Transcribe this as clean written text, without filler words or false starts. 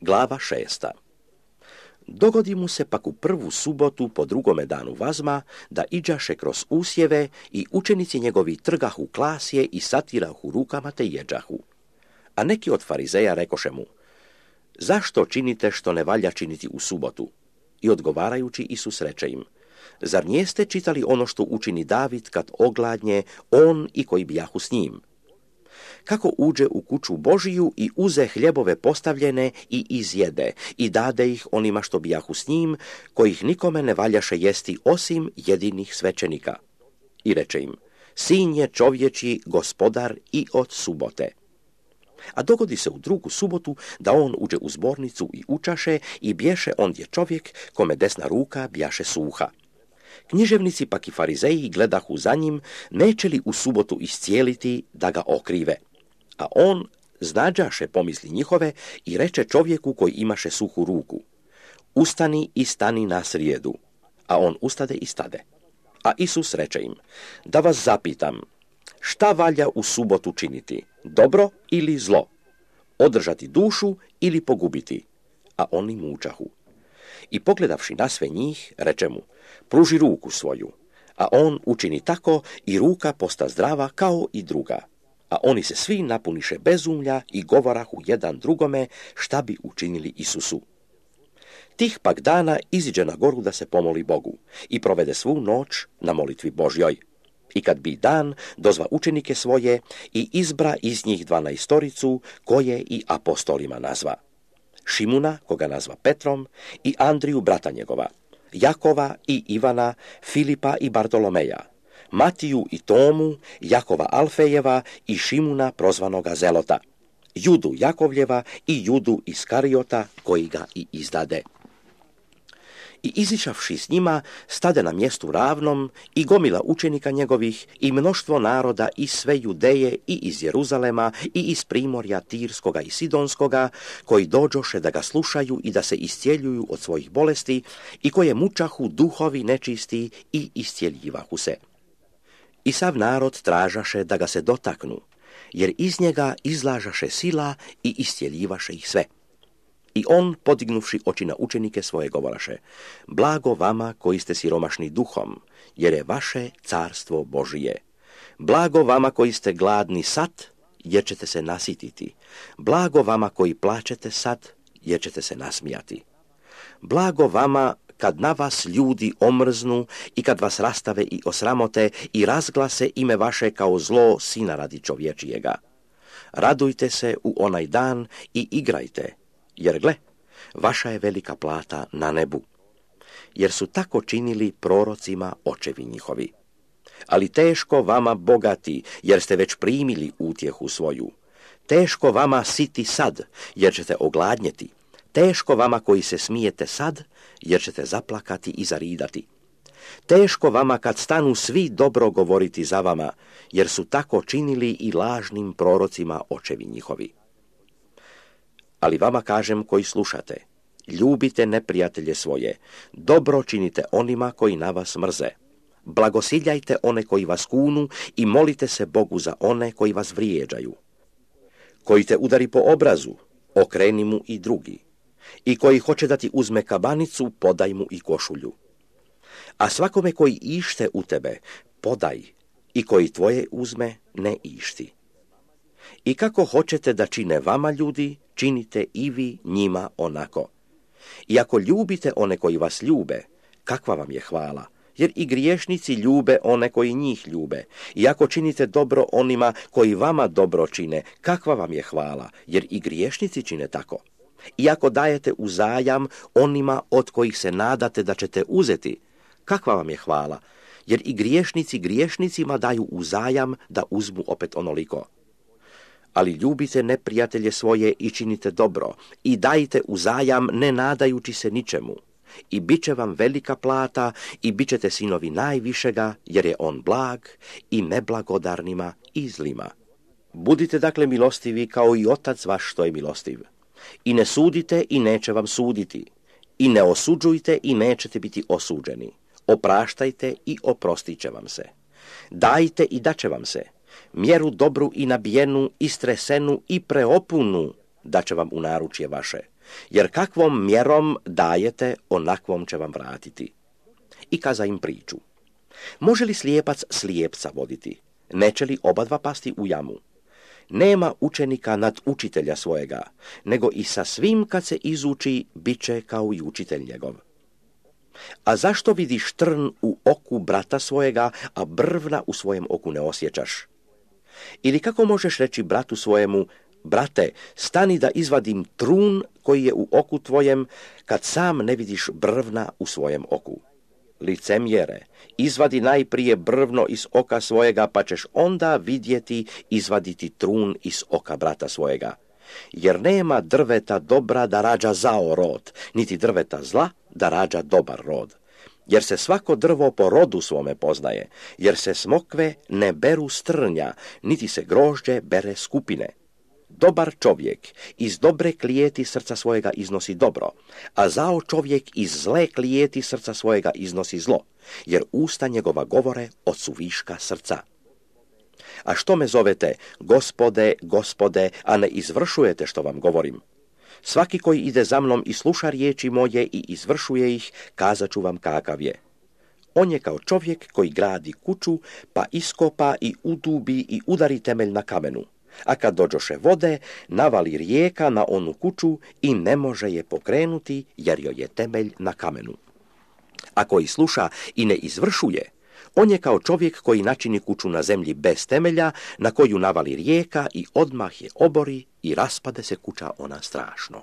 Glava 6. Dogodi mu se pak u prvu subotu po drugome danu vazma da iđaše kroz usjeve i učenici njegovi trgahu klasje i satirahu rukama te jeđahu. A neki od farizeja rekoše mu: zašto činite što ne valja činiti u subotu? I odgovarajući Isus reče im: zar nijeste čitali ono što učini David kad ogladnje, on i koji bijahu s njim? Kako uđe u kuću Božiju i uze hljebove postavljene i izjede i dade ih onima što bijahu s njim, kojih nikome ne valjaše jesti osim jedinih svećenika. I reče im: sin je čovječji gospodar i od subote. A dogodi se u drugu subotu da on uđe u zbornicu i učaše i bješe ondje čovjek kome desna ruka bjaše suha. Književnici pak i farizeji gledahu za njim, neće li u subotu iscijeliti da ga okrive. A on znađaše pomisli njihove i reče čovjeku koji imaše suhu ruku: ustani i stani na srijedu. A on ustade i stade. A Isus reče im: da vas zapitam, šta valja u subotu činiti, dobro ili zlo? Održati dušu ili pogubiti? A oni mučahu. I pogledavši na sve njih, reče mu: pruži ruku svoju. A on učini tako i ruka posta zdrava kao i druga. A oni se svi napuniše bezumlja i govorahu jedan drugome šta bi učinili Isusu. Tih pak dana iziđe na goru da se pomoli Bogu i provede svu noć na molitvi Božjoj. I kad bi dan, dozva učenike svoje i izbra iz njih 12 koje i apostolima nazva: Šimuna, koga nazva Petrom, i Andriju, brata njegova, Jakova i Ivana, Filipa i Bartolomeja, Matiju i Tomu, Jakova Alfejeva i Šimuna prozvanoga Zelota, Judu Jakovljeva i Judu Iskariota koji ga i izdade. I izišavši s njima, stade na mjestu ravnom i gomila učenika njegovih i mnoštvo naroda iz sve Judeje i iz Jeruzalema i iz primorja Tirskoga i Sidonskoga, koji dođoše da ga slušaju i da se iscijeljuju od svojih bolesti i koje mučahu duhovi nečisti i iscijeljivahu se. I sav narod tražaše da ga se dotaknu, jer iz njega izlažaše sila i iscijeljivaše ih sve. I on, podignuvši oči na učenike svoje, govoraše: blago vama koji ste siromašni duhom, jer je vaše carstvo Božije. Blago vama koji ste gladni sad, jer ćete se nasititi. Blago vama koji plačete sad, jer ćete se nasmijati. Blago vama kad na vas ljudi omrznu i kad vas rastave i osramote i razglase ime vaše kao zlo sina radi čovječijega. Radujte se u onaj dan i igrajte, jer gle, vaša je velika plata na nebu. Jer su tako činili prorocima očevi njihovi. Ali teško vama bogati, jer ste već primili utjehu svoju. Teško vama siti sad, jer ćete ogladnjeti. Teško vama koji se smijete sad, jer ćete zaplakati i zaridati. Teško vama kad stanu svi dobro govoriti za vama, jer su tako činili i lažnim prorocima očevi njihovi. Ali vama kažem koji slušate: ljubite neprijatelje svoje, dobro činite onima koji na vas mrze. Blagosiljajte one koji vas kunu i molite se Bogu za one koji vas vrijeđaju. Koji te udari po obrazu, okreni mu i drugi. I koji hoće da ti uzme kabanicu, podaj mu i košulju. A svakome koji ište u tebe, podaj, i koji tvoje uzme, ne išti. I kako hoćete da čine vama ljudi, činite i vi njima onako. I ako ljubite one koji vas ljube, kakva vam je hvala, jer i griješnici ljube one koji njih ljube. I ako činite dobro onima koji vama dobro čine, kakva vam je hvala, jer i griješnici čine tako. I ako dajete uzajam onima od kojih se nadate da ćete uzeti, kakva vam je hvala, jer i griješnici griješnicima daju uzajam da uzmu opet onoliko. Ali ljubite neprijatelje svoje i činite dobro, i dajte uzajam ne nadajući se ničemu. I bit će vam velika plata, i bit ćete sinovi najvišega, jer je on blag i neblagodarnima i zlima. Budite dakle milostivi kao i Otac vaš što je milostiv. I ne sudite i neće vam suditi. I ne osuđujte i nećete biti osuđeni. Opraštajte i oprostit će vam se. Dajte i daće vam se. Mjeru dobru i nabijenu, istresenu i preopunu daće vam u naručje vaše, jer kakvom mjerom dajete, onakvom će vam vratiti. I kaza im priču. Može li slijepac slijepca voditi? Neće li obadva pasti u jamu? Nema učenika nad učitelja svojega, nego i sa svim kad se izuči, bit će kao i učitelj njegov. A zašto vidiš trn u oku brata svojega, a brvna u svojem oku ne osjećaš? Ili kako možeš reći bratu svojemu, brate, stani da izvadim trun koji je u oku tvojem, kad sam ne vidiš brvna u svojem oku? Licemjere, izvadi najprije brvno iz oka svojega, pa ćeš onda vidjeti izvaditi trun iz oka brata svojega. Jer nema drveta dobra da rađa zao rod, niti drveta zla da rađa dobar rod. Jer se svako drvo po rodu svome poznaje, jer se smokve ne beru s trnja, niti se grožđe bere skupine. Dobar čovjek iz dobre klijeti srca svojega iznosi dobro, a zao čovjek iz zle klijeti srca svojega iznosi zlo, jer usta njegova govore od suviška srca. A što me zovete, Gospode, Gospode, a ne izvršujete što vam govorim? Svaki koji ide za mnom i sluša riječi moje i izvršuje ih, kazat ću vam kakav je. On je kao čovjek koji gradi kuću, pa iskopa i udubi i udari temelj na kamenu. A kad dođoše vode, navali rijeka na onu kuću i ne može je pokrenuti, jer joj je temelj na kamenu. A koji sluša i ne izvršuje, on je kao čovjek koji načini kuću na zemlji bez temelja, na koju navali rijeka i odmah je obori i raspade se kuća ona strašno.